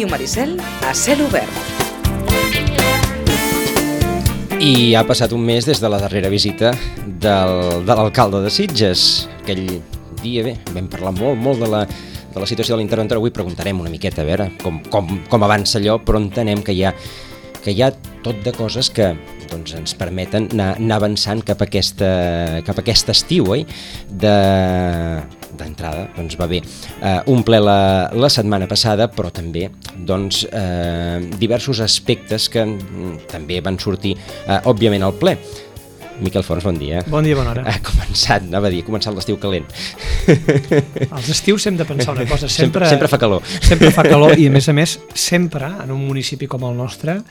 Ràdio Maricel a cel obert. I ha passat un mes des de la darrera visita de l'alcalde de Sitges. Aquell dia, vam parlar molt de la situació de l'interventor. Avui preguntarem una miqueta a veure com avança allò, però entenem que hi ha tot de coses que ens permeten anar avançant cap a aquest estiu, oi? D'entrada, va bé un ple la setmana passada, però també diversos aspectes que també van sortir, òbviament, al ple. Miquel Forns, bon dia. Bon dia, bona hora. Ha començat l'estiu calent. Als estius hem de pensar una cosa, sempre fa calor. Sempre fa calor i, a més, sempre, en un municipi com el nostre,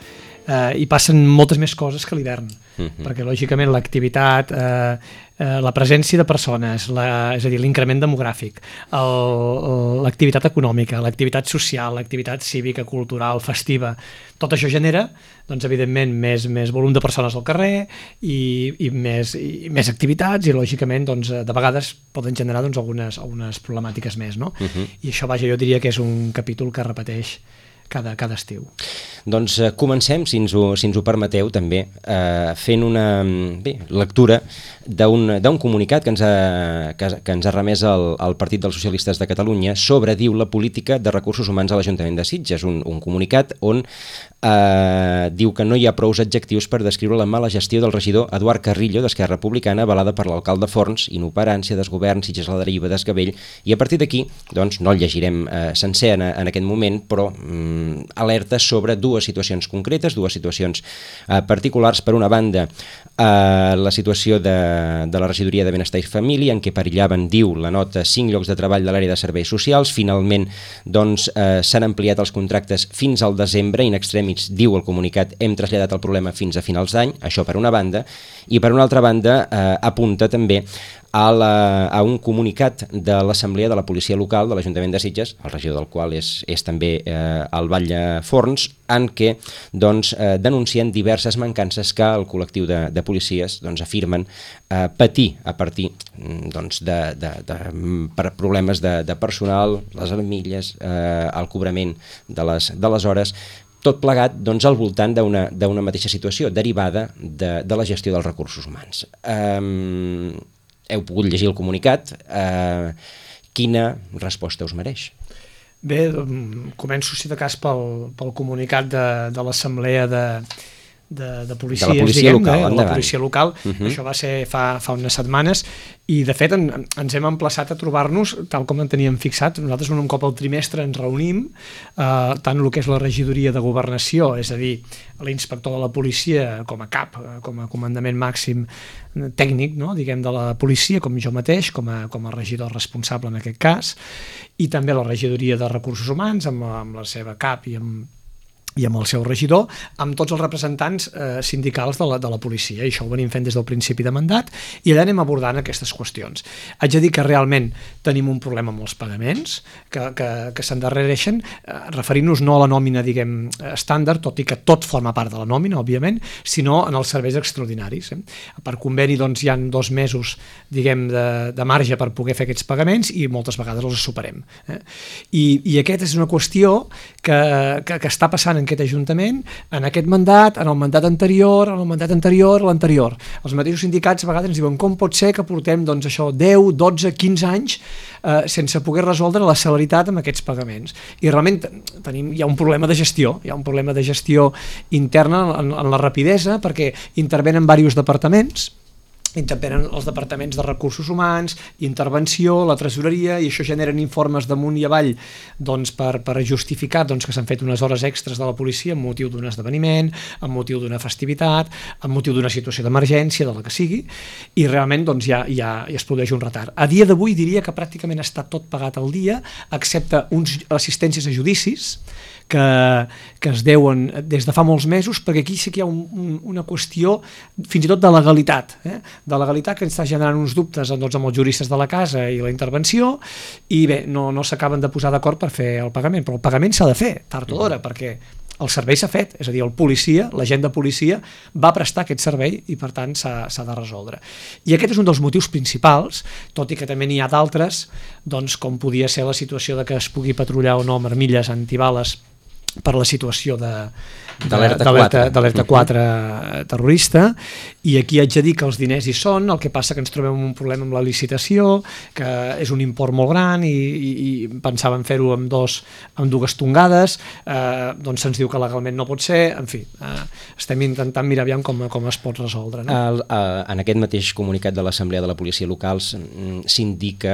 hi passen moltes més coses que a l'hivern, perquè, lògicament, l'activitat, la presència de persones, és a dir, l'increment demogràfic, l'activitat econòmica, l'activitat social, l'activitat cívica, cultural, festiva, tot això genera, evidentment, més volum de persones al carrer i més activitats i, lògicament, de vegades poden generar algunes problemàtiques més, no? I això, vaja, jo diria que és un capítol que repeteix cada estiu. Doncs comencem, si ens ho permeteu, també, fent una lectura d'un comunicat que ens ha remès el Partit dels Socialistes de Catalunya sobre, diu, la política de recursos humans a l'Ajuntament de Sitges. Un comunicat on diu que no hi ha prous adjectius per descriure la mala gestió del regidor Eduard Carrillo d'Esquerra Republicana, avalada per l'alcalde Forns, inoperància, desgovern, Sitges a la deriva, desgavell, i a partir d'aquí, no el llegirem sencer en aquest moment, però alerta sobre dues situacions concretes, dues situacions particulars. Per una banda, la situació de la regidoria de Benestar i Família, en què perillaven, diu la nota, 5 llocs de treball de l'àrea de serveis socials. Finalment, s'han ampliat els contractes fins al desembre. In extremis, diu el comunicat, hem traslladat el problema fins a finals d'any. Això per una banda. I per una altra banda, apunta també a un comunicat de l'Assemblea de la Policia Local de l'Ajuntament de Sitges, el regidor del qual és també el Batlle Forns, en què denuncien diverses mancances que el col·lectiu de policies afirmen patir a partir per problemes de personal, les armilles, el cobrament de les hores, tot plegat al voltant d'una mateixa situació derivada de la gestió dels recursos humans. Heu pogut llegir el comunicat. Quina resposta us mereix? Bé, començo, si de cas, pel comunicat de l'Assemblea de Policies, de la policia local, de la policia local. Això va ser fa unes setmanes i, de fet, ens hem emplaçat a trobar-nos tal com en teníem fixat. Nosaltres un cop al trimestre ens reunim, tant el que és la regidoria de governació, és a dir, l'inspector de la policia com a cap, com a comandament màxim tècnic, diguem, de la policia, com jo mateix, com a regidor responsable en aquest cas, i també la regidoria de recursos humans amb la seva cap i amb el seu regidor, amb tots els representants sindicals de la policia. I això ho venim fent des del principi de mandat i allà anem abordant aquestes qüestions. Haig de dir que realment tenim un problema amb els pagaments que s'endarrereixen, referint-nos no a la nòmina, diguem, estàndard, tot i que tot forma part de la nòmina, òbviament, sinó en els serveis extraordinaris. Per conveni hi ha 2 mesos, diguem, de marge per poder fer aquests pagaments i moltes vegades els superem. I aquesta és una qüestió que està passant en aquest Ajuntament, en aquest mandat, en el mandat anterior, en el mandat anterior, l'anterior. Els mateixos sindicats a vegades ens diuen com pot ser que portem 10, 12, 15 anys sense poder resoldre la celeritat amb aquests pagaments. I realment hi ha un problema de gestió, interna en la rapidesa, perquè intervenen diversos departaments, intervenen els departaments de recursos humans, intervenció, la tresoreria, i això generen informes d'amunt i avall per justificar que s'han fet unes hores extres de la policia amb motiu d'un esdeveniment, amb motiu d'una festivitat, amb motiu d'una situació d'emergència, de la que sigui, i realment ja es produeix un retard. A dia d'avui diria que pràcticament està tot pagat al dia, excepte uns assistències a judicis que es deuen des de fa molts mesos, perquè aquí sí que hi ha una qüestió fins i tot de legalitat, de legalitat que ens està generant uns dubtes amb els juristes de la casa i la intervenció, i bé, no s'acaben de posar d'acord per fer el pagament, però el pagament s'ha de fer tard o d'hora, perquè el servei s'ha fet, és a dir, el policia, l'agent de policia va prestar aquest servei i per tant s'ha de resoldre. I aquest és un dels motius principals, tot i que també n'hi ha d'altres, com podia ser la situació de que es pugui patrullar o no amb armilles antibales per la situació d'alerta 4 terrorista, i aquí haig de dir que els diners hi són, el que passa que ens trobem un problema amb la licitació, que és un import molt gran i pensàvem fer-ho amb dues tongades, doncs se'ns diu que legalment no pot ser, en fi, estem intentant mirar aviam com es pot resoldre. No? En aquest mateix comunicat de l'Assemblea de la Policia Local s'indica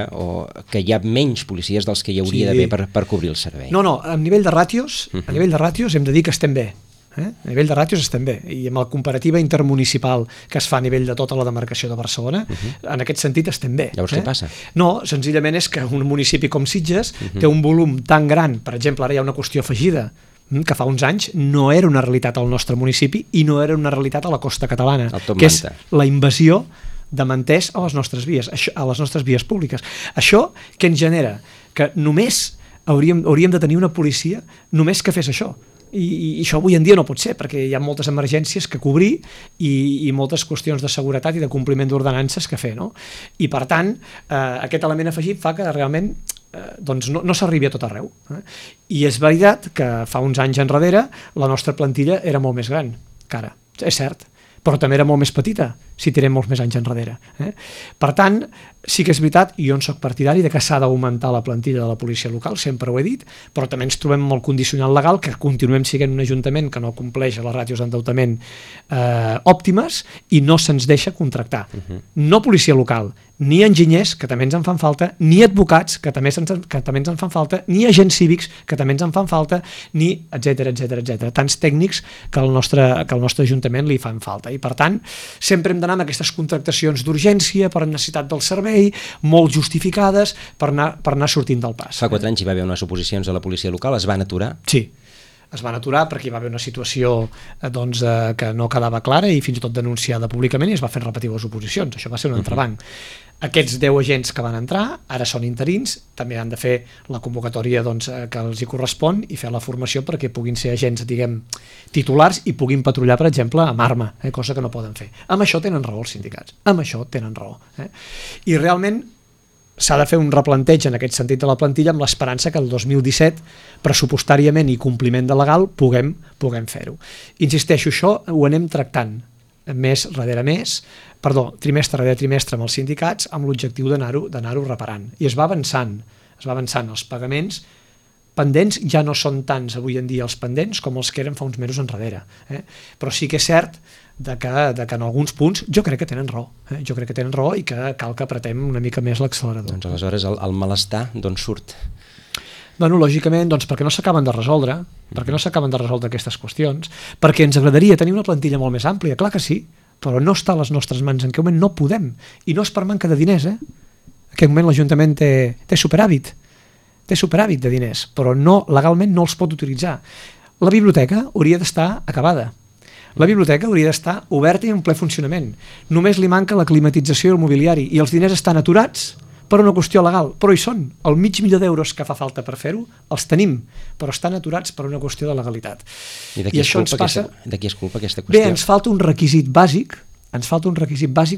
que hi ha menys policies dels que hi hauria d'haver per cobrir el servei. No, a nivell de ràtios hem de dir que estem bé. A nivell de ràtios estem bé, i amb la comparativa intermunicipal que es fa a nivell de tota la demarcació de Barcelona, en aquest sentit estem bé. Llavors què passa? No, senzillament és que un municipi com Sitges té un volum tan gran, per exemple, ara hi ha una qüestió afegida, que fa uns anys no era una realitat al nostre municipi i no era una realitat a la costa catalana, que és la invasió de manters a les nostres vies públiques. Això què ens genera? Que només hauríem de tenir una policia només que fes això. I això avui en dia no pot ser, perquè hi ha moltes emergències que cobrir i moltes qüestions de seguretat i de compliment d'ordenances que fer, no? I per tant, aquest element afegit fa que realment doncs no s'arribi a tot arreu. I és veritat que fa uns anys enrere la nostra plantilla era molt més gran que ara, és cert, però també era molt més petita si tirem molts més anys enrere. Per tant, sí que és veritat, i jo en soc partidari de que s'ha d'augmentar la plantilla de la policia local, sempre ho he dit, però també ens trobem molt condicional legal que continuem sent un ajuntament que no compleix les ràtios d'endeutament òptimes i no se'ns deixa contractar. No policia local, ni enginyers, que també ens en fan falta, ni advocats, que també ens en fan falta, ni agents cívics, que també ens en fan falta, ni etcètera. Tants tècnics que al nostre ajuntament li fan falta. I per tant, sempre hem d'anar amb aquestes contractacions d'urgència per necessitat del servei, molt justificades, per anar sortint del pas. Fa 4 anys hi va haver unes oposicions a la policia local, es van aturar? Sí, es van aturar perquè hi va haver una situació que no quedava clara i fins i tot denunciada públicament i es va fer repetir les oposicions. Això va ser un entrebanc. Aquests 10 agents que van entrar ara són interins, també han de fer la convocatòria que els hi correspon i fer la formació perquè puguin ser agents, diguem, titulars i puguin patrullar, per exemple, amb arma, cosa que no poden fer. Amb això tenen raó els sindicats, amb això tenen raó. I realment s'ha de fer un replanteig en aquest sentit de la plantilla amb l'esperança que el 2017, pressupostàriament i compliment de legal, puguem fer-ho. Insisteixo, això ho anem tractant trimestre rere trimestre amb els sindicats amb l'objectiu d'anar-ho reparant. I es va avançant. Els pagaments pendents ja no són tants avui en dia els pendents com els que eren fa uns mesos enrere. Però sí que és cert que en alguns punts jo crec que tenen raó. Jo crec que tenen raó i que cal que apretem una mica més l'accelerador. Doncs aleshores el malestar d'on surt? Bueno, lògicament, perquè no s'acaben de resoldre, aquestes qüestions, perquè ens agradaria tenir una plantilla molt més àmplia, clar que sí, però no està a les nostres mans, en aquest moment no podem, i no és per manca de diners, En aquest moment l'Ajuntament té superàvit de diners, però legalment no els pot utilitzar. La biblioteca hauria d'estar acabada, la biblioteca hauria d'estar oberta i en ple funcionament, només li manca la climatització i el mobiliari, i els diners estan aturats per una qüestió legal, però hi són. El $500.000 que fa falta per fer-ho, els tenim, però estan aturats per una qüestió de legalitat. I de qui és culpa aquesta qüestió? Bé, ens falta un requisit bàsic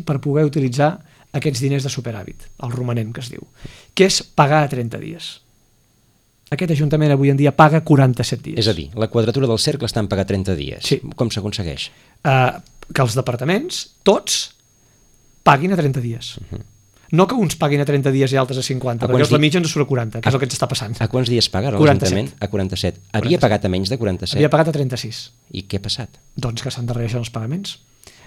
per poder utilitzar aquests diners de superàvit, el romanent que es diu, que és pagar a 30 dies. Aquest Ajuntament avui en dia paga 47 dies. És a dir, la quadratura del cercle està en pagar 30 dies. Sí. Com s'aconsegueix? Que els departaments, tots, paguin a 30 dies. No que uns paguin a 30 dies i altres a 50, perquè la mitja ens surt a 40, que és el que ens està passant. A quants dies paga l'Ajuntament? A 47. Havia pagat a menys de 47? Havia pagat a 36. I què ha passat? Doncs que s'endarrereixen els pagaments.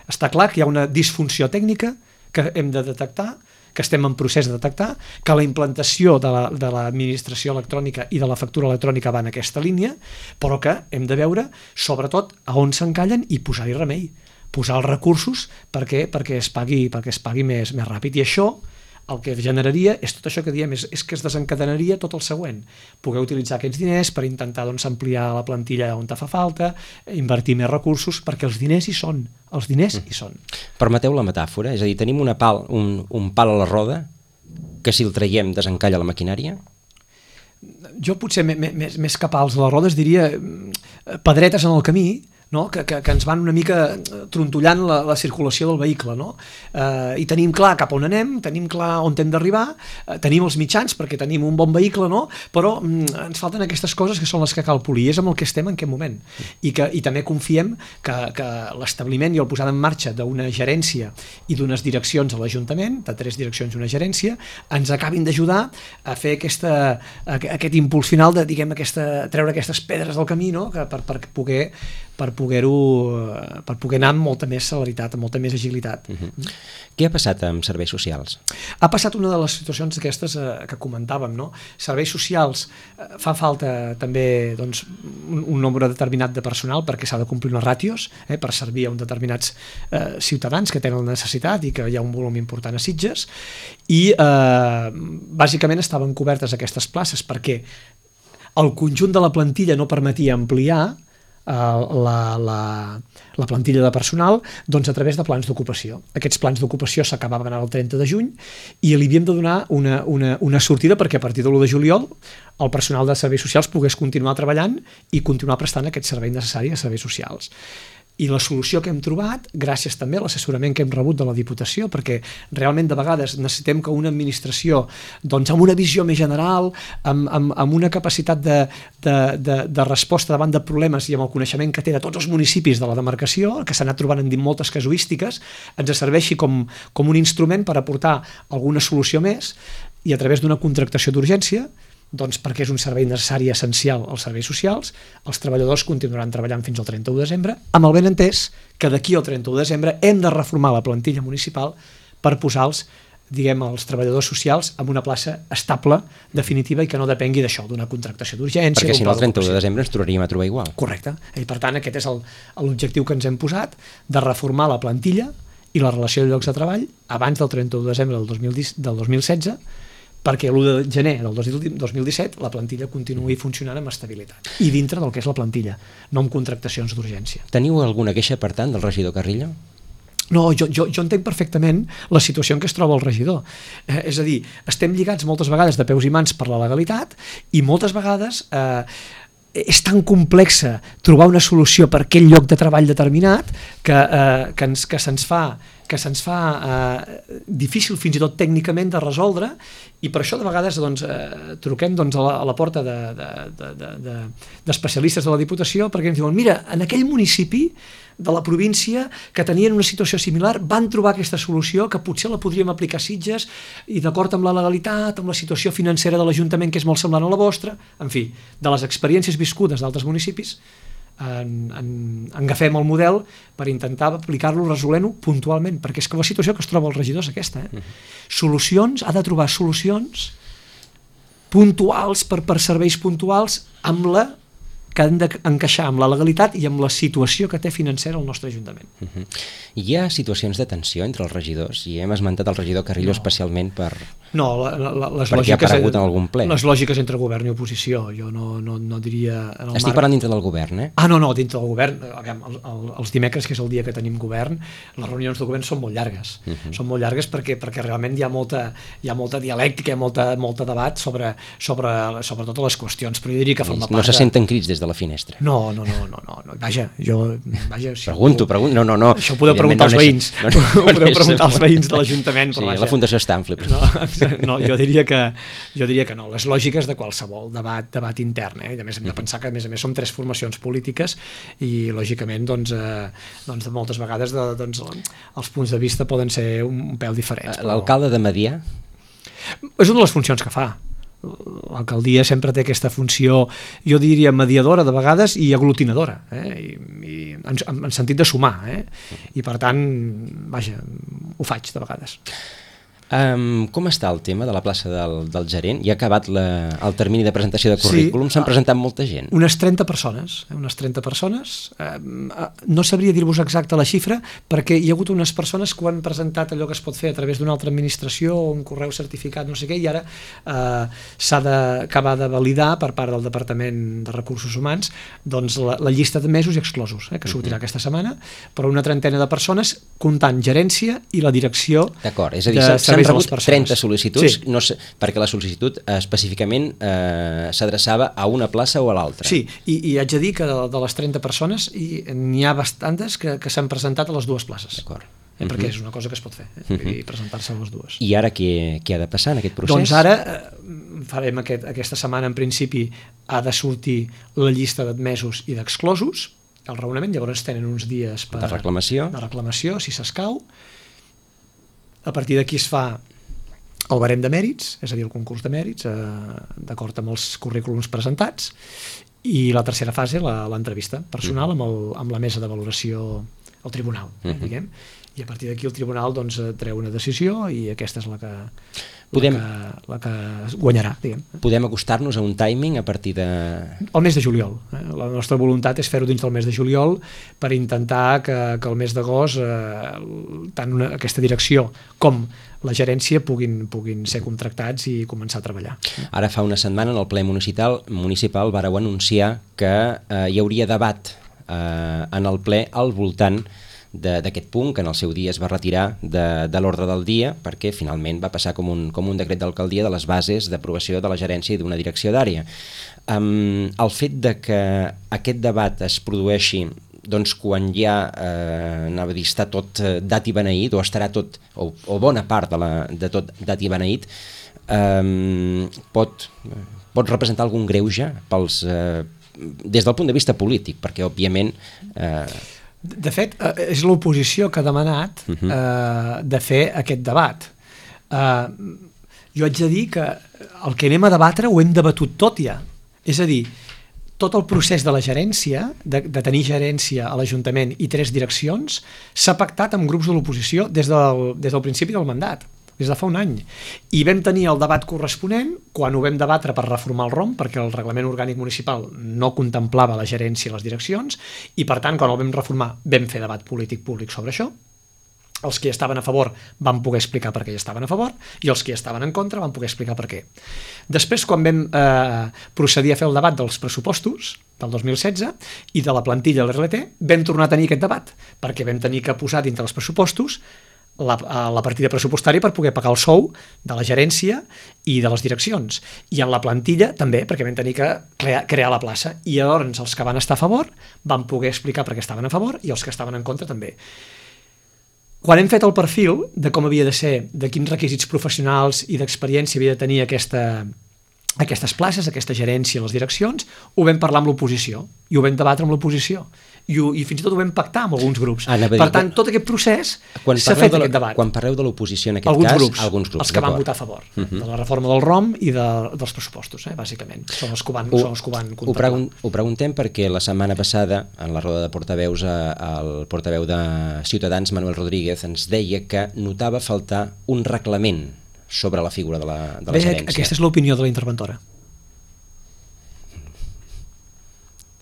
Està clar que hi ha una disfunció tècnica que hem de detectar, que estem en procés de detectar, que la implantació de l'administració electrònica i de la factura electrònica va en aquesta línia, però que hem de veure, sobretot, a on s'encallen i posar-hi remei. Posar els recursos perquè es pagui més ràpid. I això el que generaria és tot això que diem, és que es desencadenaria tot el següent. Poder utilitzar aquests diners per intentar ampliar la plantilla on fa falta, invertir més recursos, perquè els diners hi són. Hi són. Permeteu la metàfora? És a dir, tenim un pal a la roda que si el traiem desencalla la maquinària? Jo potser més que pals a les rodes diria pedretes en el camí no? que ens van una mica trontollant la circulació del vehicle, no? I tenim clar cap on anem, tenim clar on hem d'arribar, tenim els mitjans perquè tenim un bon vehicle, no? Però ens falten aquestes coses que són les que cal polir, és amb el que estem en aquest moment, i també confiem que l'establiment i el posada en marxa d'una gerència i d'unes direccions a l'Ajuntament, de 3 direccions i una gerència, ens acabin d'ajudar a fer aquest impuls final de, diguem, treure aquestes pedres del camí, no? per poder anar amb molta més celeritat, amb molta més agilitat. Què ha passat amb serveis socials? Ha passat una de les situacions aquestes que comentàvem, no? Serveis socials, fa falta també doncs, un nombre determinat de personal perquè s'ha de complir unes ràtios per servir a uns determinats ciutadans que tenen necessitat i que hi ha un volum important a Sitges, i bàsicament estaven cobertes aquestes places perquè el conjunt de la plantilla no permetia ampliar la plantilla de personal, doncs a través de plans d'ocupació. Aquests plans d'ocupació s'acabaven el 30 de juny i li havíem de donar una sortida perquè a partir de l'1 de juliol el personal de serveis socials pogués continuar treballant i continuar prestant aquest servei necessari a serveis socials. I la solució que hem trobat, gràcies també a l'assessorament que hem rebut de la Diputació, perquè realment de vegades necessitem que una administració, doncs amb una visió més general, amb una capacitat de resposta davant de problemes i amb el coneixement que té de tots els municipis de la demarcació, que s'ha anat trobant en moltes casuístiques, ens serveixi com un instrument per aportar alguna solució més i a través d'una contractació d'urgència, doncs perquè és un servei necessari i essencial als serveis socials, els treballadors continuaran treballant fins al 31 de desembre, amb el benentès que d'aquí al 31 de desembre hem de reformar la plantilla municipal per posar-los, diguem, els treballadors socials en una plaça estable, definitiva, i que no depengui d'això, d'una contractació d'urgència. Perquè si no el 31 de desembre ens tornaríem a trobar igual. Correcte. I per tant aquest és l'objectiu que ens hem posat, de reformar la plantilla i la relació de llocs de treball abans del 31 de desembre del 2016, perquè l'1 de gener del 2017 la plantilla continuï funcionant amb estabilitat i dintre del que és la plantilla, no amb contractacions d'urgència. Teniu alguna queixa, per tant, del regidor Carrillo? No, jo entenc perfectament la situació en què es troba el regidor. És a dir, estem lligats moltes vegades de peus i mans per la legalitat i moltes vegades és tan complexa trobar una solució per aquell lloc de treball determinat que se'ns fa difícil fins i tot tècnicament de resoldre, i per això de vegades truquem a la porta d'especialistes de la Diputació perquè ens diuen, mira, en aquell municipi de la província que tenien una situació similar van trobar aquesta solució que potser la podríem aplicar a Sitges i d'acord amb la legalitat, amb la situació financera de l'Ajuntament que és molt semblant a la vostra, en fi, de les experiències viscudes d'altres municipis agafem el model per intentar aplicar-lo, resolent-ho puntualment, perquè és que la situació que es troba el regidor és aquesta. Solucions, ha de trobar solucions puntuals per serveis puntuals amb la que han d'encaixar amb la legalitat i amb la situació que té financera el nostre Ajuntament. Hi ha situacions de tensió entre els regidors i hem esmentat el regidor Carrillo especialment per... No, perquè ha aparegut en algun ple. Les lògiques entre govern i oposició, jo no diria... Estic parlant dintre del govern, eh? No, dintre del govern. Els dimecres, que és el dia que tenim govern, les reunions de govern són molt llargues. Són molt llargues perquè realment hi ha molta dialèctica, molta debat sobre totes les qüestions, però jo diria que forma part... No se senten crits des de la finestra. No. Vaja, si pregunto, no. Això ho podeu preguntar als veïns. Ho podeu preguntar als veïns de l'Ajuntament. Sí, la Fundació Stanfli. No, jo diria que no. Les lògiques de qualsevol debat intern. A més, hem de pensar que a més som 3 formacions polítiques i lògicament de moltes vegades els punts de vista poden ser un pèl diferents. L'alcalde de Medià? És una de les funcions que fa. L'alcaldia sempre té aquesta funció, jo diria mediadora de vegades i aglutinadora, i en sentit de sumar, i per tant, vaja, ho faig de vegades. Com està el tema de la plaça del gerent? Ja ha acabat el termini de presentació de currículum? S'han presentat molta gent? Unes 30 persones. No sabria dir-vos exacta la xifra perquè hi ha hagut unes persones que ho han presentat allò que es pot fer a través d'una altra administració o un correu certificat, no sé què, i ara s'ha d'acabar de validar per part del Departament de Recursos Humans doncs la llista de mesos i exclosos, que sortirà aquesta setmana, però una trentena de persones comptant gerència i la direcció. D'acord, és a dir, s'han serveis a les rebut persones. 30 sol·licituds, Sí. no sé, perquè la sol·licitud específicament s'adreçava a una plaça o a l'altra. Sí, i haig de dir que de les 30 persones n'hi ha bastantes que s'han presentat a les dues places. D'acord. Perquè és una cosa que es pot fer, i presentar-se a les dues. I ara què ha de passar en aquest procés? Doncs ara farem aquesta setmana, en principi, ha de sortir la llista d'admesos i d'exclosos, el raonament, llavors tenen uns dies de reclamació, si s'escau. A partir d'aquí es fa el barem de mèrits, és a dir, el concurs de mèrits, d'acord amb els currículums presentats, i la tercera fase, l'entrevista personal amb la mesa de valoració al tribunal, diguem. I a partir d'aquí el tribunal treu una decisió i aquesta és la que guanyarà, diguem. Podem acostar-nos a un timing a partir de... El mes de juliol. La nostra voluntat és fer-ho dins del mes de juliol per intentar que el mes d'agost tant aquesta direcció com la gerència puguin ser contractats i començar a treballar. Ara fa una setmana en el ple municipal vareu anunciar que hi hauria debat en el ple al voltant d'aquest punt, que en el seu dia es va retirar de l'ordre del dia perquè finalment va passar com un decret d'alcaldia de les bases d'aprovació de la gerència i d'una direcció d'àrea. El fet de que aquest debat es produeixi quan ja anava a dir està tot dat i beneït, o estarà tot, o bona part de tot dat i beneït, pot representar algun greuge des del punt de vista polític, perquè òbviament... De fet, és l'oposició que ha demanat de fer aquest debat. Jo haig de dir que el que anem a debatre ho hem debatut tot ja. És a dir, tot el procés de la gerència, de tenir gerència a l'Ajuntament i 3 direccions, s'ha pactat amb grups de l'oposició des del principi del mandat, des de fa un any. I vam tenir el debat corresponent quan ho vam debatre per reformar el ROM, perquè el Reglament Orgànic Municipal no contemplava la gerència i les direccions, i per tant, quan el vam reformar, vam fer debat polític públic sobre això. Els que hi estaven a favor van poder explicar per què hi estaven a favor, i els que hi estaven en contra van poder explicar per què. Després, quan vam procedir a fer el debat dels pressupostos del 2016 i de la plantilla de l'RLT, vam tornar a tenir aquest debat, perquè vam tenir que posar dintre els pressupostos la partida pressupostària per poder pagar el sou de la gerència i de les direccions. I en la plantilla també, perquè vam tenir que crear la plaça. I llavors els que van estar a favor van poder explicar per què estaven a favor i els que estaven en contra també. Quan hem fet el perfil de com havia de ser, de quins requisits professionals i d'experiència havia de tenir aquestes places, aquesta gerència a les direccions, ho vam parlar amb l'oposició i ho vam debatre amb l'oposició. I fins i tot ho vam pactar amb alguns grups. Per tant, tot aquest procés s'ha fet aquest debat. Quan parleu de l'oposició en aquest cas, alguns grups, els que van votar a favor de la reforma del ROM i dels pressupostos, bàsicament. Són els que ho van contemplar. Ho preguntem perquè la setmana passada, en la roda de portaveus, el portaveu de Ciutadans, Manuel Rodríguez, ens deia que notava faltar un reglament sobre la figura de la gerència. Aquesta és l'opinió de la interventora.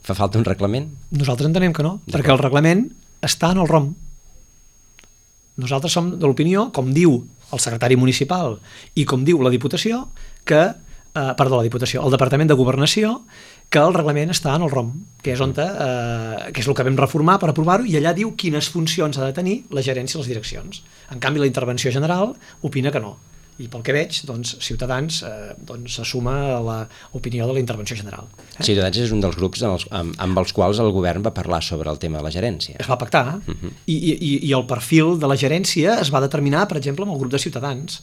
Fa falta un reglament? Nosaltres entenem que no, perquè el reglament està en el ROM. Nosaltres som de l'opinió, com diu el secretari municipal i com diu la Diputació, el Departament de Governació, que el reglament està en el ROM, que és el que vam reformar per aprovar-ho, i allà diu quines funcions ha de tenir la gerència i les direccions. En canvi, la intervenció general opina que no. I pel que veig, Ciutadans s'assuma a l'opinió de la intervenció general. Ciutadans és un dels grups amb els quals el govern va parlar sobre el tema de la gerència. Es va pactar, i el perfil de la gerència es va determinar, per exemple, amb el grup de Ciutadans.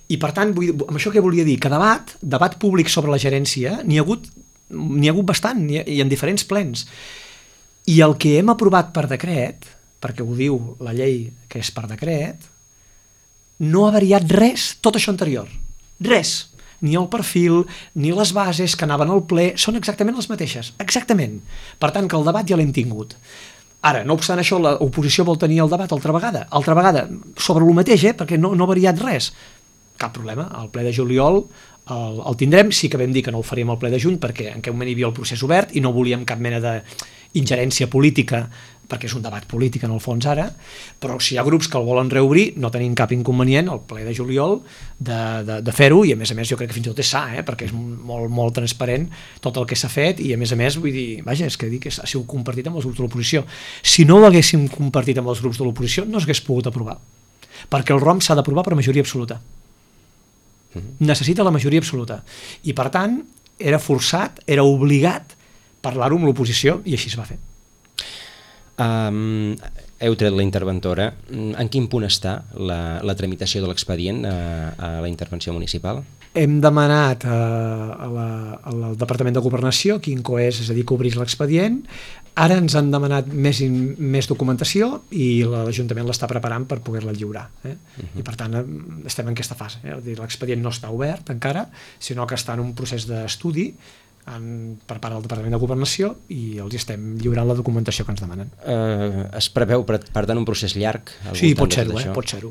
I per tant, amb això què volia dir? Que debat públic sobre la gerència n'hi ha hagut bastant, i en diferents plens. I el que hem aprovat per decret, perquè ho diu la llei que és per decret, no ha variat res, tot això anterior. Res. Ni el perfil, ni les bases que anaven al ple, són exactament les mateixes. Exactament. Per tant, que el debat ja l'hem tingut. Ara, no obstant això, l'oposició vol tenir el debat altra vegada sobre el mateix, perquè no ha variat res. Cap problema. Al ple de juliol el tindrem. Sí que vam dir que no el faríem al ple de juny, perquè en aquell moment hi havia el procés obert i no volíem cap mena d'ingerència política, perquè és un debat polític en el fons ara, però si hi ha grups que el volen reobrir, no tenim cap inconvenient al ple de juliol de fer-ho, i a més jo crec que fins i tot és sa, perquè és molt, molt transparent tot el que s'ha fet, i a més vull dir, vaja, és que dic que ha sigut compartit amb els grups de l'oposició. Si no ho haguéssim compartit amb els grups de l'oposició, no s'hagués pogut aprovar, perquè el ROM s'ha d'aprovar per majoria absoluta. Necessita la majoria absoluta. I, per tant, era forçat, era obligat parlar-ho amb l'oposició, i així es va fer. Heu tret la interventora. En quin punt està la tramitació de l'expedient a la intervenció municipal? Hem demanat al Departament de Governació que incoés, és a dir, que obrís l'expedient. Ara ens han demanat més documentació i l'Ajuntament l'està preparant per poder-la lliurar. I per tant estem en aquesta fase. L'expedient no està obert encara, sinó que està en un procés d'estudi per part del Departament de Governació i els estem lliurant la documentació que ens demanen. Es preveu, per tant, un procés llarg? Sí, pot ser-ho, pot ser-ho.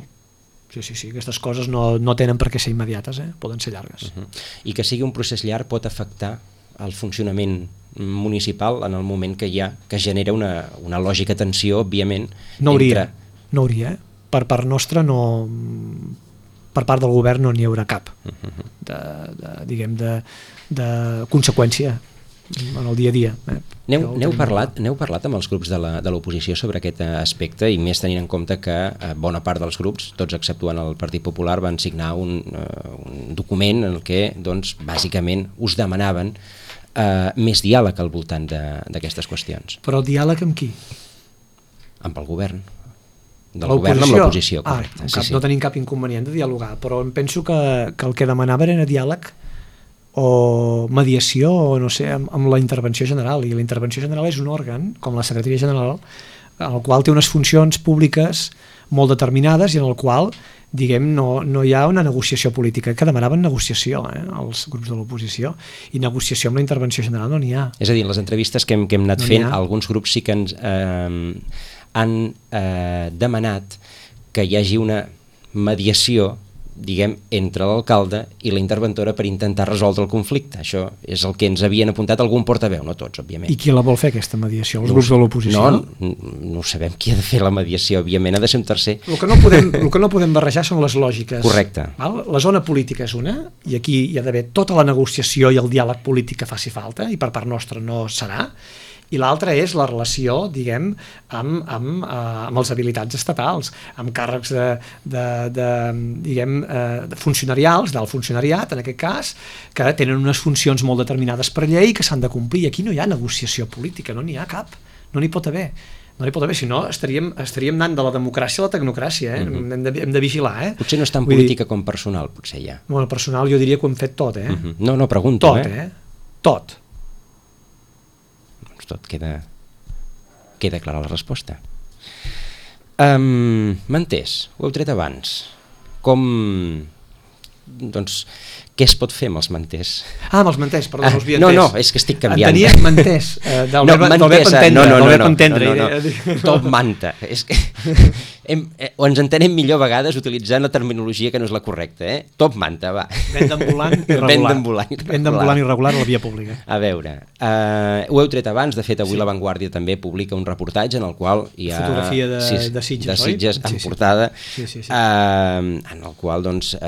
Sí, aquestes coses no tenen per què ser immediates, poden ser llargues. I que sigui un procés llarg pot afectar el funcionament municipal en el moment que genera una lògica tensió, òbviament. No hauria. Per part nostra, per part del govern no n'hi haurà cap de conseqüència en el dia a dia. N'heu parlat amb els grups de l'oposició sobre aquest aspecte, i més tenint en compte que bona part dels grups, tots exceptuant el Partit Popular, van signar un document en el que, doncs, bàsicament us demanaven més diàleg al voltant d'aquestes qüestions. Però el diàleg amb qui? Amb el govern. Del govern amb l'oposició, correcte. No tenim cap inconvenient de dialogar, però em penso que el que demanaven era diàleg o mediació, o no sé, amb la intervenció general, i la intervenció general és un òrgan, com la secretaria general, en el qual té unes funcions públiques molt determinades i en el qual, diguem, no hi ha una negociació política, que demanaven negociació, els grups de l'oposició, i negociació amb la intervenció general no n'hi ha. És a dir, en les entrevistes que hem anat fent, alguns grups sí que ens han demanat que hi hagi una mediació, diguem, entre l'alcalde i la interventora per intentar resoldre el conflicte. Això és el que ens havien apuntat algun portaveu, no tots, òbviament. I qui la vol fer, aquesta mediació? Els grups de l'oposició? No sabem qui ha de fer la mediació, òbviament, ha de ser un tercer. El que no podem barrejar són les lògiques. Correcte. La zona política és una, i aquí hi ha d'haver tota la negociació i el diàleg polític que faci falta, i per part nostra no serà, i l'altra és la relació, diguem, amb els habilitats estatals, amb càrrecs funcionarials, del funcionariat, en aquest cas, que tenen unes funcions molt determinades per llei que s'han de complir. Aquí no hi ha negociació política, no n'hi ha cap, no n'hi pot haver. Si no estaríem anant de la democràcia a la tecnocràcia, hem de vigilar. Potser no és tan política com personal, potser ja. Bueno, personal jo diria que ho hem fet tot, No, pregunto. Tot. Tot queda clara la resposta. Manters, ho heu tret abans. Què es pot fer amb els manters? Amb els manters, perdó, no us havia entès. No, és que estic canviant. Entenies manters, del verb entendre. No. Top manta. És que o ens entenem millor a vegades utilitzant la terminologia que no és la correcta. Top manta, va. Venda ambulant irregular a la via pública. A veure, ho heu tret abans, de fet avui La Vanguardia també publica un reportatge en el qual hi ha... Fotografia de Sitges, en portada, en el qual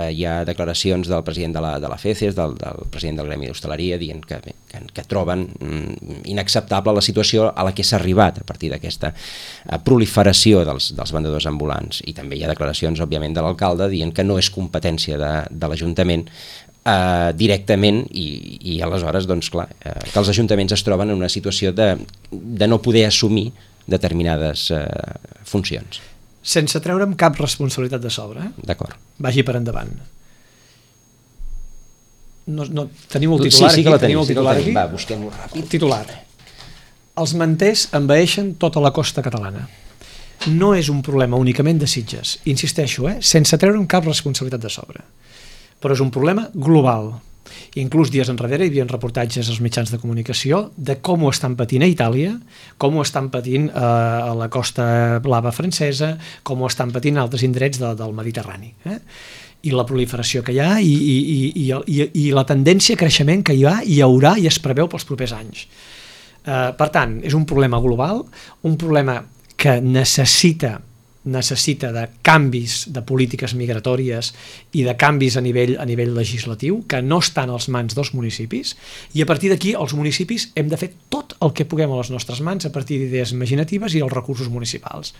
hi ha declaracions del president de la FECES, del president del Gremi d'Hostaleria, dient que troben inacceptable la situació a la que s'ha arribat a partir d'aquesta proliferació dels vendedors ambulants. I també hi ha declaracions, òbviament, de l'alcalde dient que no és competència de l'Ajuntament directament, i aleshores, clar, que els ajuntaments es troben en una situació de no poder assumir determinades funcions. Sense treure'm cap responsabilitat de sobre. D'acord. Vagi per endavant. Teniu el titular aquí? Sí que la tenim. Va, busquem-ho ràpid. Titular. Els manters envaeixen tota la costa catalana. No és un problema únicament de Sitges, insisteixo, sense treure'm cap responsabilitat de sobre. Però és un problema global. Inclús dies enrere hi havia reportatges als mitjans de comunicació de com ho estan patint a Itàlia, com ho estan patint a la costa blava francesa, com ho estan patint altres indrets del Mediterrani. I la proliferació que hi ha i la tendència a creixement que hi haurà i es preveu pels propers anys. Per tant, és un problema global, un problema que necessita de canvis de polítiques migratòries i de canvis a nivell legislatiu que no estan als mans dels municipis, i a partir d'aquí els municipis hem de fer tot el que puguem a les nostres mans a partir d'idees imaginatives i els recursos municipals.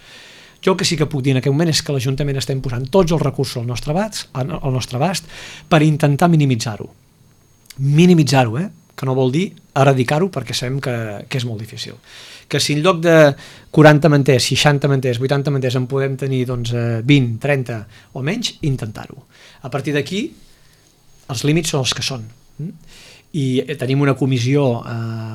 Jo el que sí que puc dir en aquest moment és que l'Ajuntament estem posant tots els recursos al nostre abast per intentar minimitzar-ho. Minimitzar-ho, que no vol dir eradicar-ho, perquè sabem que és molt difícil. Que si en lloc de 40 manters, 60 manters, 80 manters en podem tenir 20, 30 o menys, intentar-ho. A partir d'aquí, els límits són els que són. I tenim una comissió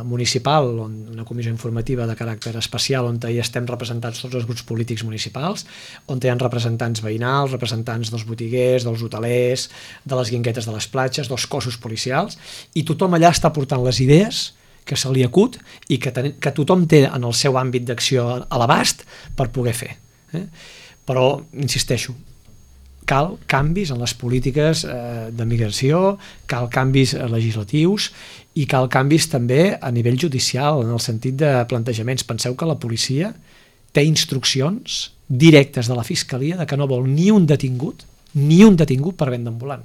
municipal, una comissió informativa de caràcter especial, on hi estem representats tots els grups polítics municipals, on hi ha representants veïnals, representants dels botiguers, dels hotelers, de les guinguetes de les platges, dels cossos policials, i tothom allà està portant les idees que se li acut i que tothom té en el seu àmbit d'acció a l'abast per poder fer. Però, insisteixo, cal canvis en les polítiques de migració, cal canvis legislatius i cal canvis també a nivell judicial, en el sentit de plantejaments. Penseu que la policia té instruccions directes de la Fiscalia de que no vol ni un detingut per venda ambulant.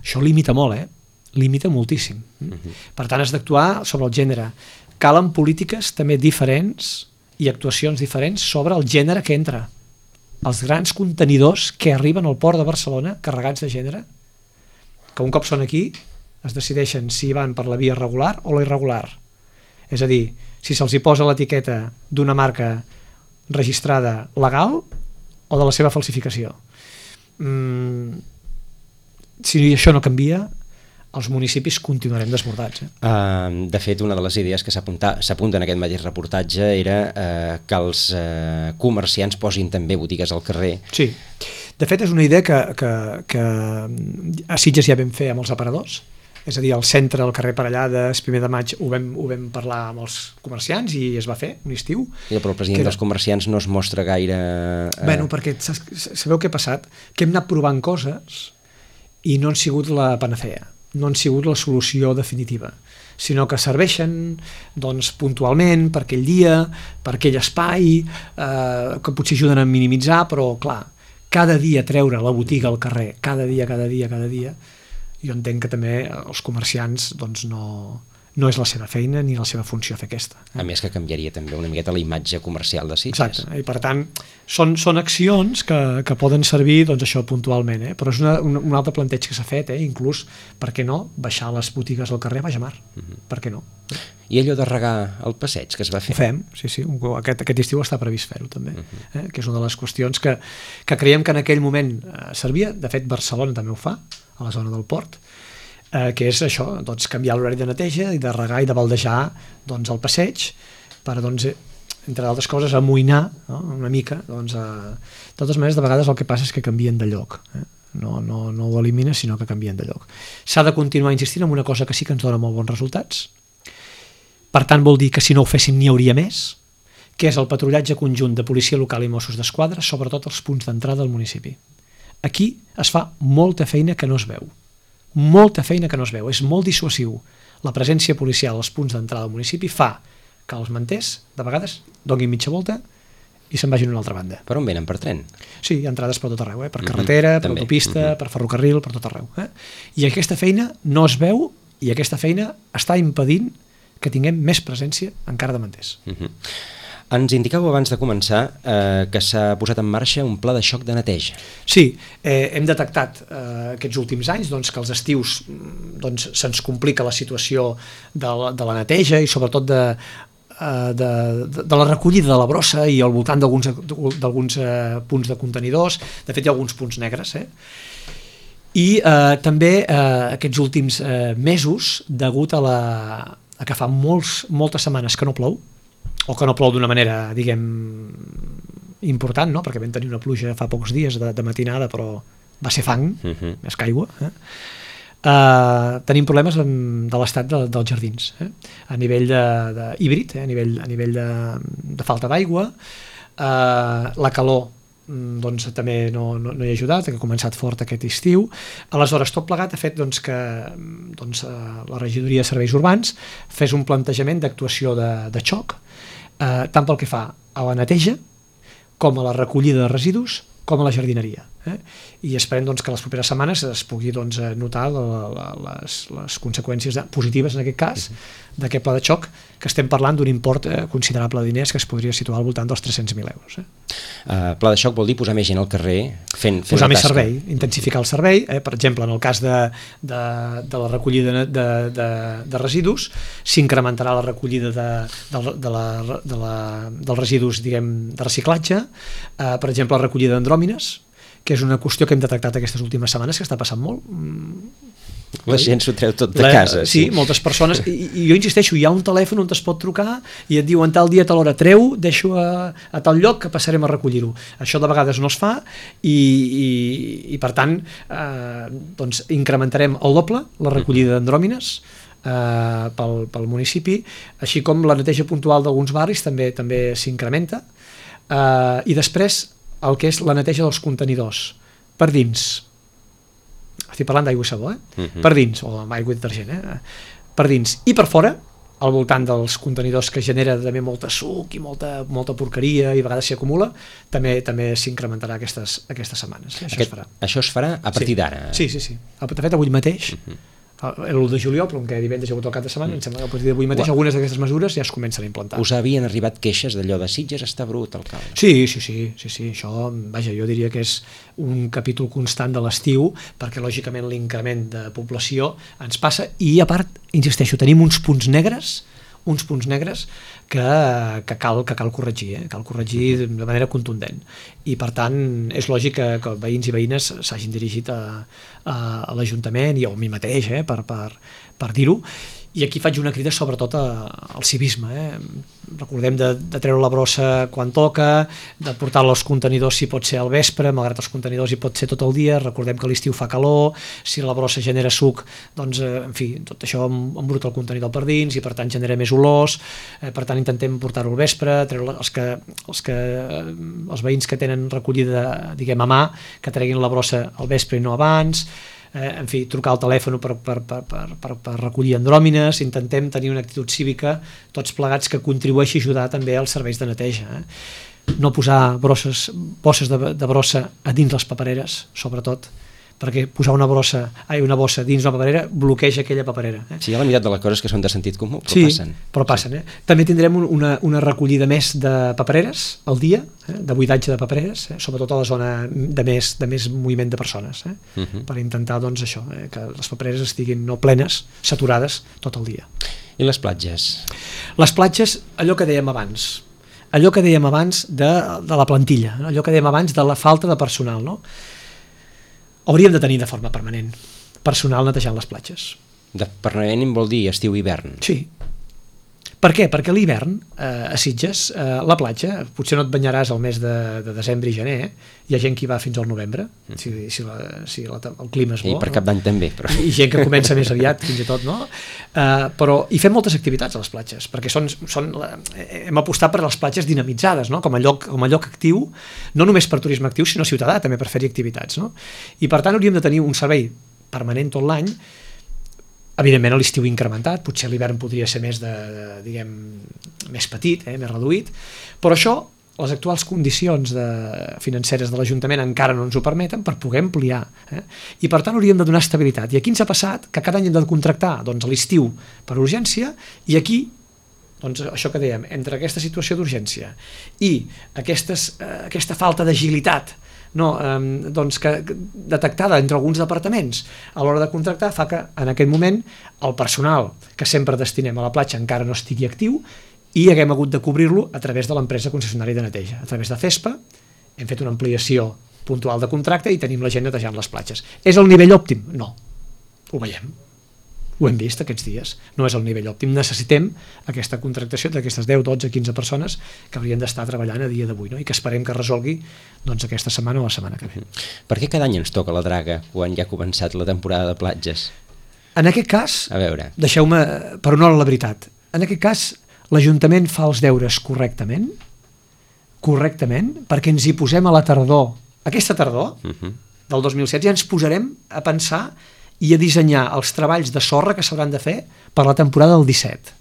Això limita molt, limita moltíssim. Per tant, has d'actuar sobre el gènere. Calen polítiques també diferents i actuacions diferents sobre el gènere que entra. Els grans contenidors que arriben al port de Barcelona carregats de gènere, que un cop són aquí es decideixen si van per la via regular o la irregular. És a dir, si se'ls hi posa l'etiqueta d'una marca registrada legal o de la seva falsificació. Si això no canvia, els municipis continuarem desbordats. De fet, una de les idees que s'apunta en aquest mateix reportatge era que els comerciants posin també botigues al carrer. Sí, de fet és una idea que a Sitges ja vam fer amb els aparadors, és a dir, al centre, al carrer Parellades, 1 de maig, ho vam parlar amb els comerciants i es va fer un estiu. Però el president dels comerciants no es mostra gaire... Bueno, perquè sabeu què ha passat? Que hem anat provant coses i no han sigut la panacea, no han sigut la solució definitiva, sinó que serveixen puntualment per aquell dia, per aquell espai, que potser ajuden a minimitzar, però clar, cada dia treure la botiga al carrer, cada dia, jo entenc que també els comerciants no és la seva feina ni la seva funció fer aquesta. A més que canviaria també una miqueta la imatge comercial de Sitges. Exacte, i per tant són accions que poden servir això puntualment, però és un altre planteig que s'ha fet, inclús, per què no, baixar les botigues al carrer a baix a mar, per què no? I allò de regar el passeig que es va fer? Ho fem, sí, aquest estiu està previst fer-ho també, que és una de les qüestions que creiem que en aquell moment servia. De fet Barcelona també ho fa, a la zona del port, que és això, canviar l'horari de neteja i de regar i de baldejar el passeig per, entre d'altres coses, amoïnar una mica. De totes maneres, de vegades el que passa és que canvien de lloc, no ho elimina, sinó que canvien de lloc. S'ha de continuar insistint en una cosa que sí que ens dona molt bons resultats, per tant vol dir que si no ho féssim n'hi hauria més, que és el patrullatge conjunt de policia local i Mossos d'Esquadra, sobretot als punts d'entrada del municipi. Aquí es fa molta feina que no es veu. Molta feina que no es veu, és molt dissuasiu. La presència policial als punts d'entrada del municipi fa que els manters, de vegades, donin mitja volta i se'n vagin a una altra banda. Per on venen? Per tren? Sí, hi ha entrades per tot arreu, per carretera, per autopista, per ferrocarril, per tot arreu. I aquesta feina no es veu i aquesta feina està impedint que tinguem més presència encara de manters. Ens indicàveu abans de començar que s'ha posat en marxa un pla de xoc de neteja. Sí, hem detectat aquests últims anys que als estius se'ns complica la situació de la neteja i sobretot de la recollida de la brossa i al voltant d'alguns punts de contenidors. De fet, hi ha alguns punts negres. I també aquests últims mesos, degut a que fa moltes setmanes que no plou, o que no plou d'una manera, diguem, important, perquè vam tenir una pluja fa pocs dies de matinada, però va ser fang, més que aigua. Tenim problemes de l'estat dels jardins, a nivell híbrid, a nivell de falta d'aigua. La calor també no hi ha ajudat, que ha començat fort aquest estiu. Aleshores, tot plegat ha fet que la regidoria de serveis urbans fes un plantejament d'actuació de xoc, tant pel que fa a la neteja com a la recollida de residus com a la jardineria. I esperem doncs, que les properes setmanes es pugui doncs, notar les conseqüències positives, en aquest cas, d'aquest pla de xoc, que estem parlant d'un import considerable de diners que es podria situar al voltant dels 300.000 euros. Pla de xoc vol dir posar més gent al carrer fent posar més tasca. servei, intensificar el servei. Per exemple, en el cas de la recollida de residus, s'incrementarà la recollida dels residus, diguem, de reciclatge. Per exemple, la recollida d'andròmines, que és una qüestió que hem detectat aquestes últimes setmanes, que està passant molt. La gent s'ho treu tot de casa. Sí, moltes persones. I jo insisteixo, hi ha un telèfon on es pot trucar i et diuen tal dia, tal hora, treu, deixo a tal lloc que passarem a recollir-ho. Això de vegades no es fa i per tant, doncs incrementarem el doble la recollida d'andròmines pel municipi, així com la neteja puntual d'alguns barris també s'incrementa. I després el que és la neteja dels contenidors per dins, estic parlant d'aigua i sabó, per dins, o amb aigua i detergent, per dins i per fora, al voltant dels contenidors, que genera també molta suc i molta porqueria i a vegades s'hi acumula, també s'incrementarà aquestes setmanes. Això es farà a partir d'ara? Sí. De fet, avui mateix, l'1 de juliol, però que divendres hi ha hagut el cap de setmana, em sembla que a partir d'avui mateix algunes d'aquestes mesures ja es comencen a implantar. Us havien arribat queixes d'allò de Sitges està brut, alcalde? Sí, això, vaja, jo diria que és un capítol constant de l'estiu, perquè lògicament l'increment de població ens passa, i a part, insisteixo, tenim uns punts negres que cal corregir, cal corregir de manera contundent, i per tant és lògic que veïns i veïnes s'hagin dirigit a l'Ajuntament i a mi mateix per dir-ho. I aquí faig una crida sobretot al civisme. Recordem de treure la brossa quan toca, de portar-la als contenidors si pot ser al vespre, malgrat els contenidors hi pot ser tot el dia. Recordem que a l'estiu fa calor, si la brossa genera suc, doncs, en fi, tot això embruta el contenidor per dins i per tant genera més olors. Per tant intentem portar-ho al vespre, treure els veïns que tenen recollida, diguem, a mà, que treguin la brossa al vespre i no abans. En fi, trucar al telèfon per recollir andròmines. Intentem tenir una actitud cívica tots plegats que contribueixi a ajudar també als serveis de neteja. No posar bosses de brossa a dins les papereres, sobretot, perquè posar una bossa dins una paperera bloqueja aquella paperera. Sí, hi ha la meitat de les coses que són de sentit comú, però passen. Però passen. També tindrem una recollida més de papereres al dia, de buidatge de papereres, sobretot a la zona de més moviment de persones, per intentar, doncs, això, que les papereres estiguin no plenes, saturades tot el dia. I les platges? Les platges, allò que dèiem abans de la plantilla, allò que dèiem abans de la falta de personal, no? Hauríem de tenir de forma permanent personal netejant les platges. De permanent vol dir estiu i hivern? Sí. Per què? Perquè a l'hivern, a Sitges, la platja, potser no et banyaràs al mes de desembre i gener, hi ha gent que hi va fins al novembre, si el clima és bo. I per Cap d'Any també. Però... I gent que comença més aviat, fins i tot, no? Però hi fem moltes activitats a les platges, perquè hem apostat per les platges dinamitzades, no? com a lloc actiu, no només per turisme actiu, sinó ciutadà, també per fer-hi activitats. No? I per tant hauríem de tenir un servei permanent tot l'any. Evidentment a l'estiu incrementat, potser l'hivern podria ser més més petit, més reduït, però això, les actuals condicions financeres de l'Ajuntament encara no ens ho permeten per poder ampliar. I per tant hauríem de donar estabilitat. I aquí ens ha passat que cada any hem de contractar a l'estiu per urgència, i aquí, doncs, això que dèiem, entre aquesta situació d'urgència i aquesta falta d'agilitat detectada entre alguns departaments a l'hora de contractar, fa que en aquest moment el personal que sempre destinem a la platja encara no estigui actiu i haguem hagut de cobrir-lo a través de l'empresa concessionària de neteja, a través de CESPA. Hem fet una ampliació puntual de contracte i tenim la gent netejant les platges. És el nivell òptim? No, ho veiem, ho hem vist aquests dies, no és el nivell òptim. Necessitem aquesta contractació d'aquestes 10, 12, 15 persones que haurien d'estar treballant a dia d'avui, no? I que esperem que resolgui aquesta setmana o la setmana que ve. Per què cada any ens toca la draga quan ja ha començat la temporada de platges? En aquest cas, a veure, deixeu-me per honor a la veritat, en aquest cas l'Ajuntament fa els deures correctament, perquè ens hi posem a la tardor, aquesta tardor del 2007, ja ens posarem a pensar i a dissenyar els treballs de sorra que s'hauran de fer per la temporada del 17.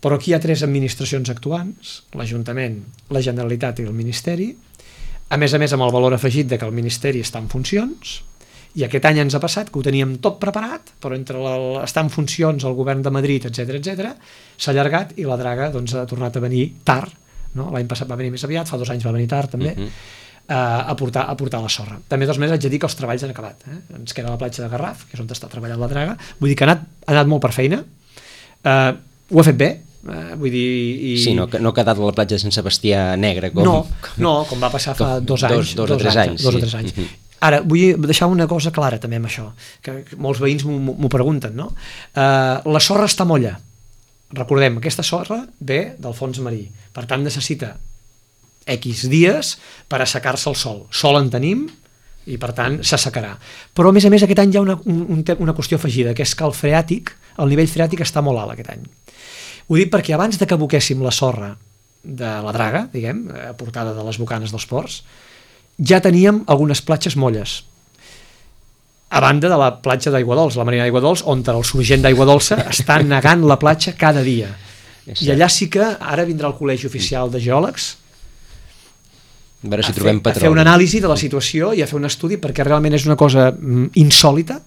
Però aquí hi ha 3 administracions actuants, l'Ajuntament, la Generalitat i el Ministeri, a més amb el valor afegit de que el Ministeri està en funcions, i aquest any ens ha passat que ho teníem tot preparat, però entre estar en funcions el govern de Madrid, etc s'ha allargat i la draga doncs, ha tornat a venir tard, no? L'any passat va venir més aviat, fa 2 anys va venir tard també, a portar la sorra. També haig de dir que els treballs han acabat. Ens queda la platja de Garraf, que és on està treballant la draga, vull dir que ha anat molt per feina, ho ha fet bé, vull dir... Sí, no ha quedat la platja de Sant Sebastià negra com... No, com va passar fa 2 anys. 2 o 3 anys. 2 o 3 anys. Ara, vull deixar una cosa clara també amb això, que molts veïns m'ho pregunten, no? La sorra està molla. Recordem, aquesta sorra ve del fons marí, per tant necessita X dies per assecar-se el sol. Sol en tenim i per tant s'assecarà. Però a més aquest any hi ha una qüestió afegida, que és que el nivell freàtic està molt alt aquest any. Ho dic perquè abans de que aboquéssim la sorra de la draga, diguem, aportada de les bocanes dels ports, ja teníem algunes platges molles. A banda de la platja d'Aigua Dols, la Marina d'Aigua Dols, on el sorgent d'Aigua Dolça està negant la platja cada dia. I allà sí que ara vindrà el Col·legi Oficial de Geòlegs a veure si trobem petroli. A fer una anàlisi de la situació i a fer un estudi, perquè realment és una cosa insòlita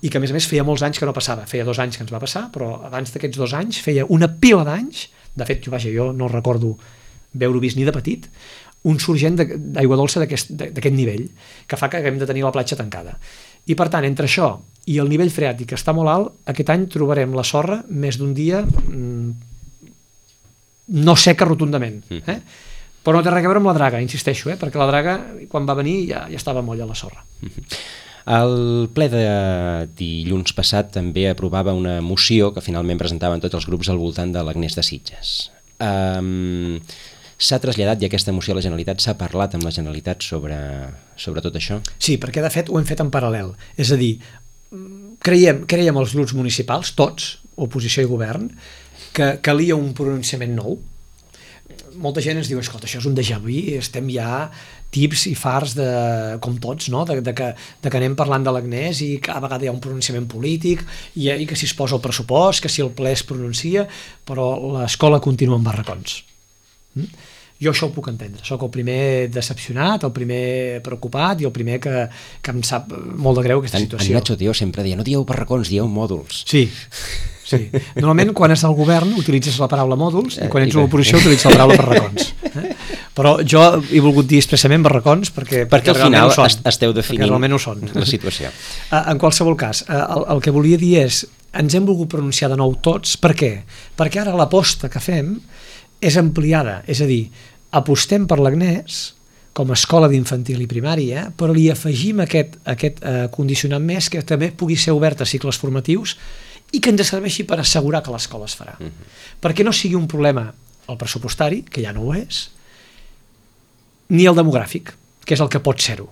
i que a més feia molts anys que no passava. Feia 2 anys que ens va passar, però abans d'aquests 2 anys feia una pila d'anys, de fet jo no recordo veure-ho vist ni de petit, un sorgent d'aigua dolça d'aquest nivell, que fa que haguem de tenir la platja tancada. I per tant, entre això i el nivell freàtic que està molt alt, aquest any trobarem la sorra més d'un dia no seca rotundament, però no té res a veure amb la draga, insisteixo, perquè la draga quan va venir ja estava molla la sorra. El ple de dilluns passat també aprovava una moció que finalment presentaven tots els grups al voltant de l'Agnès de Sitges. S'ha traslladat ja aquesta moció a la Generalitat? S'ha parlat amb la Generalitat sobre tot això? Sí, perquè de fet ho hem fet en paral·lel. És a dir, creiem els grups municipals, tots, oposició i govern, que calia un pronunciament nou. Molta gent ens diu, escolta, això és un déjà vu, estem ja tips i farts, com tots, no? de que anem parlant de l'Agnès i cada vegada hi ha un pronunciament polític i que si es posa el pressupost, que si el ple es pronuncia, però l'escola continua en barracons. Jo això ho puc entendre, sóc el primer decepcionat, el primer preocupat i el primer que em sap molt de greu aquesta situació. En Nacho Tio sempre deia, no dieu barracons, dieu mòduls. Sí. Normalment quan és al govern utilitzes la paraula mòduls i quan ets a l'oposició utilitzes la paraula barracons. Però jo he volgut dir expressament barracons perquè al final esteu definint la situació. En qualsevol cas, el que volia dir és ens hem volgut pronunciar de nou tots. Per què? Perquè ara l'aposta que fem és ampliada, és a dir, apostem per l'Agnès com a escola d'infantil i primària, però li afegim aquest condicionant més que també pugui ser obert a cicles formatius i que ens serveixi per assegurar que l'escola es farà. Perquè no sigui un problema el pressupostari, que ja no ho és, ni el demogràfic, que és el que pot ser-ho.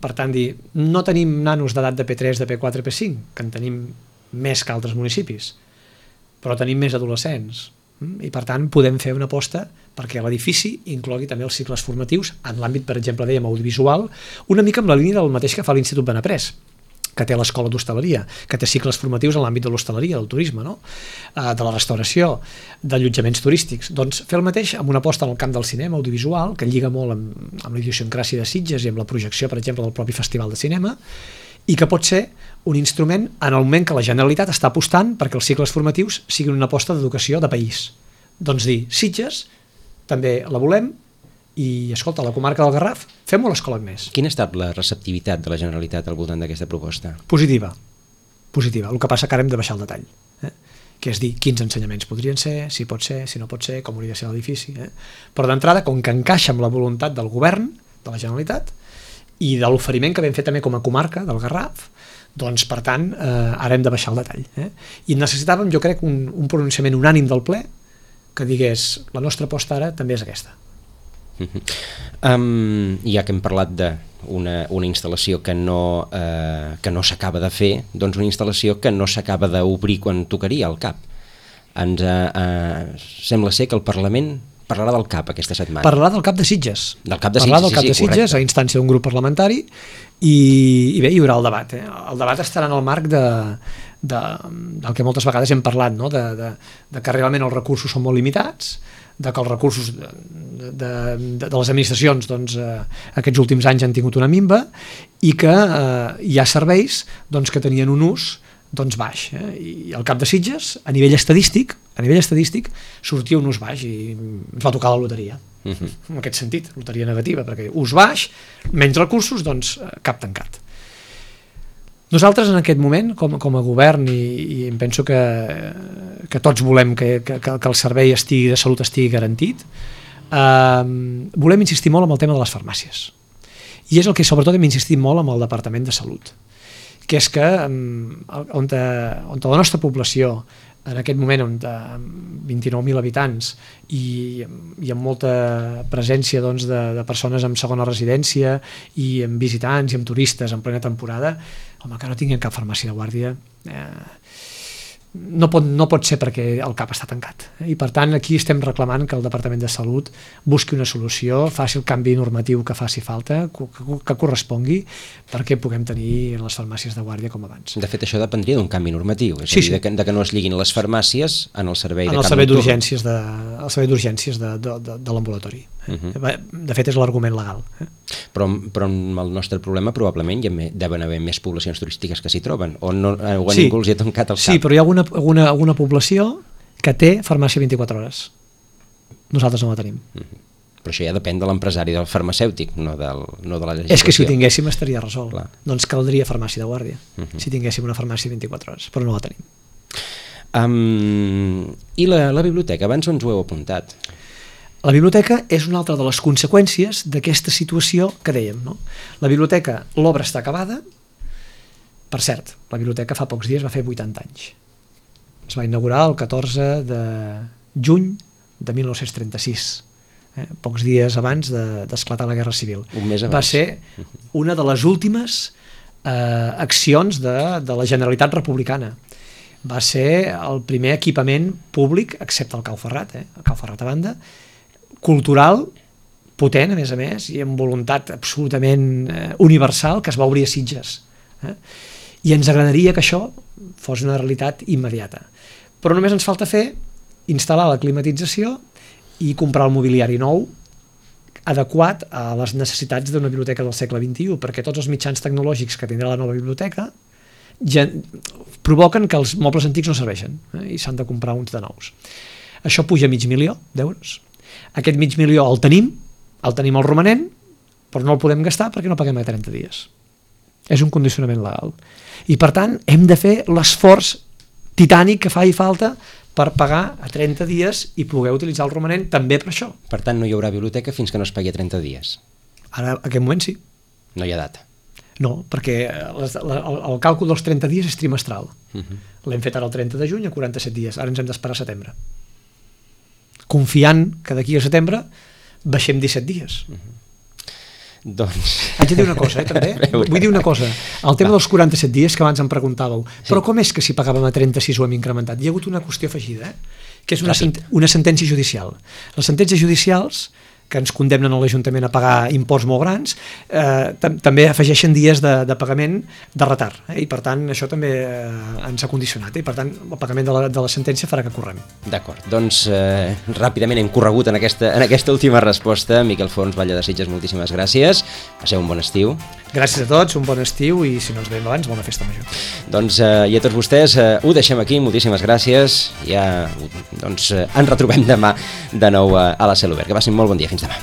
Per tant, no tenim nanos d'edat de P3, de P4, P5, que en tenim més que altres municipis, però tenim més adolescents. I per tant podem fer una aposta perquè l'edifici inclogui també els cicles formatius en l'àmbit, per exemple, dèiem audiovisual, una mica amb la línia del mateix que fa l'Institut Benaprés, que té l'escola d'hostaleria, que té cicles formatius en l'àmbit de l'hostaleria, del turisme, no? De la restauració, d'allotjaments turístics. Doncs fer el mateix amb una aposta en el camp del cinema audiovisual, que lliga molt amb la idiosincràsia de Sitges i amb la projecció, per exemple, del propi Festival de Cinema, i que pot ser un instrument en el moment que la Generalitat està apostant perquè els cicles formatius siguin una aposta d'educació de país. Doncs dir, Sitges també la volem i, escolta, la comarca del Garraf, fem-ho a l'Escola Agnès. Quina ha estat la receptivitat de la Generalitat al voltant d'aquesta proposta? Positiva. El que passa que ara hem de baixar el detall, que és dir, quins ensenyaments podrien ser, si pot ser, si no pot ser, com hauria de ser l'edifici. Però d'entrada, com que encaixa amb la voluntat del govern, de la Generalitat, i de l'oferiment que vam fer també com a comarca del Garraf, doncs, per tant, ara hem de baixar el detall. I necessitàvem, jo crec, un pronunciament unànim del ple que digués, la nostra aposta ara també és aquesta. Ja que hem parlat d'una instal·lació que no s'acaba de fer, doncs una instal·lació que no s'acaba d'obrir quan tocaria al CAP. Sembla ser que el Parlament parlarà del CAP aquesta setmana. Parlarà del CAP de Sitges. Del CAP de Sitges, parlarà del CAP de Sitges, a instància d'un grup parlamentari, i bé, hi haurà el debat. El debat estarà en el marc del que moltes vegades hem parlat, no? De que realment els recursos són molt limitats, de que els recursos de les administracions doncs, aquests últims anys han tingut una minva i que hi ha serveis doncs, que tenien un ús doncs, baix. I al cap de Sitges, a nivell estadístic, sortia un ús baix i ens va tocar la loteria. En aquest sentit, loteria negativa, perquè ús baix, menys recursos, doncs cap tancat. Nosaltres en aquest moment, com a govern, i em penso que tots volem que el servei de salut estigui garantit, volem insistir molt en el tema de les farmàcies. I és el que sobretot hem insistit molt amb el Departament de Salut, que és que on la nostra població, en aquest moment amb 29.000 habitants i amb molta presència doncs, de persones amb segona residència i amb visitants i amb turistes en plena temporada, home, que no tinguin cap farmàcia de guàrdia no pot ser perquè el CAP està tancat. I per tant aquí estem reclamant que el Departament de Salut busqui una solució, faci el canvi normatiu que faci falta, que correspongui, perquè puguem tenir les farmàcies de guàrdia com abans. De fet, això dependria d'un canvi normatiu, és a dir, de que no es lliguin les farmàcies en el servei de cap d'urgències de l'ambulatori. De fet, és l'argument legal. Però amb el nostre problema probablement deuen haver més poblacions turístiques que s'hi troben, o ningú els hi ha tancat el cap. Sí, però hi ha alguna població que té farmàcia 24 hores. Nosaltres no la tenim. Però això ja depèn de l'empresari del farmacèutic, no de la legislació. És que si ho tinguéssim estaria resolt. Doncs caldria farmàcia de guàrdia, si tinguéssim una farmàcia 24 hores, però no la tenim. I la biblioteca, abans ens ho heu apuntat. La biblioteca és una altra de les conseqüències d'aquesta situació que dèiem. No? La biblioteca, l'obra està acabada. Per cert, la biblioteca fa pocs dies va fer 80 anys. Es va inaugurar el 14 de juny de 1936, pocs dies abans d'esclatar la Guerra Civil. Un mes abans. Va ser una de les últimes accions de la Generalitat Republicana. Va ser el primer equipament públic, excepte el Cau Ferrat, el Cau Ferrat a banda, cultural, potent a més, i amb voluntat absolutament universal, que es va obrir a Sitges. I ens agradaria que això fos una realitat immediata. Però només ens falta instal·lar la climatització i comprar el mobiliari nou adequat a les necessitats d'una biblioteca del segle XXI, perquè tots els mitjans tecnològics que tindrà la nova biblioteca provoquen que els mobles antics no serveixen i s'han de comprar uns de nous. Això puja €500,000. Aquest $500,000 el tenim el romanent, però no el podem gastar perquè no paguem a 30 dies. És un condicionament legal. I per tant hem de fer l'esforç titànic que faci falta per pagar a 30 dies i poder utilitzar el romanent també per això. Per tant, no hi haurà biblioteca fins que no es pagui a 30 dies. Ara, en aquest moment sí. No hi ha data. No, perquè el càlcul dels 30 dies és trimestral. L'hem fet ara el 30 de juny a 47 dies. Ara ens hem d'esperar a setembre. Confiant que d'aquí a setembre baixem 17 dies. Doncs... Haig de dir una cosa, també. Vull dir una cosa. El tema dels 47 dies que abans em preguntàveu, però com és que si pagàvem a 36 ho hem incrementat? Hi ha hagut una qüestió afegida, que és una sentència judicial. Les sentències judicials que ens condemnen a l'Ajuntament a pagar imports molt grans, també afegeixen dies de pagament de retard, i per tant això també ens ha condicionat, i per tant el pagament de la sentència farà que correm. D'acord, doncs ràpidament hem corregut en aquesta última resposta. Miquel Forns, Batlle de Sitges, moltíssimes gràcies. Passeu un bon estiu. Gràcies a tots, un bon estiu i si no ens veiem abans, bona festa major. Doncs i a tots vostès ho deixem aquí, moltíssimes gràcies. Ja doncs ens retrobem demà de nou a la Cel Obert. Que passin molt bon dia, fins demà.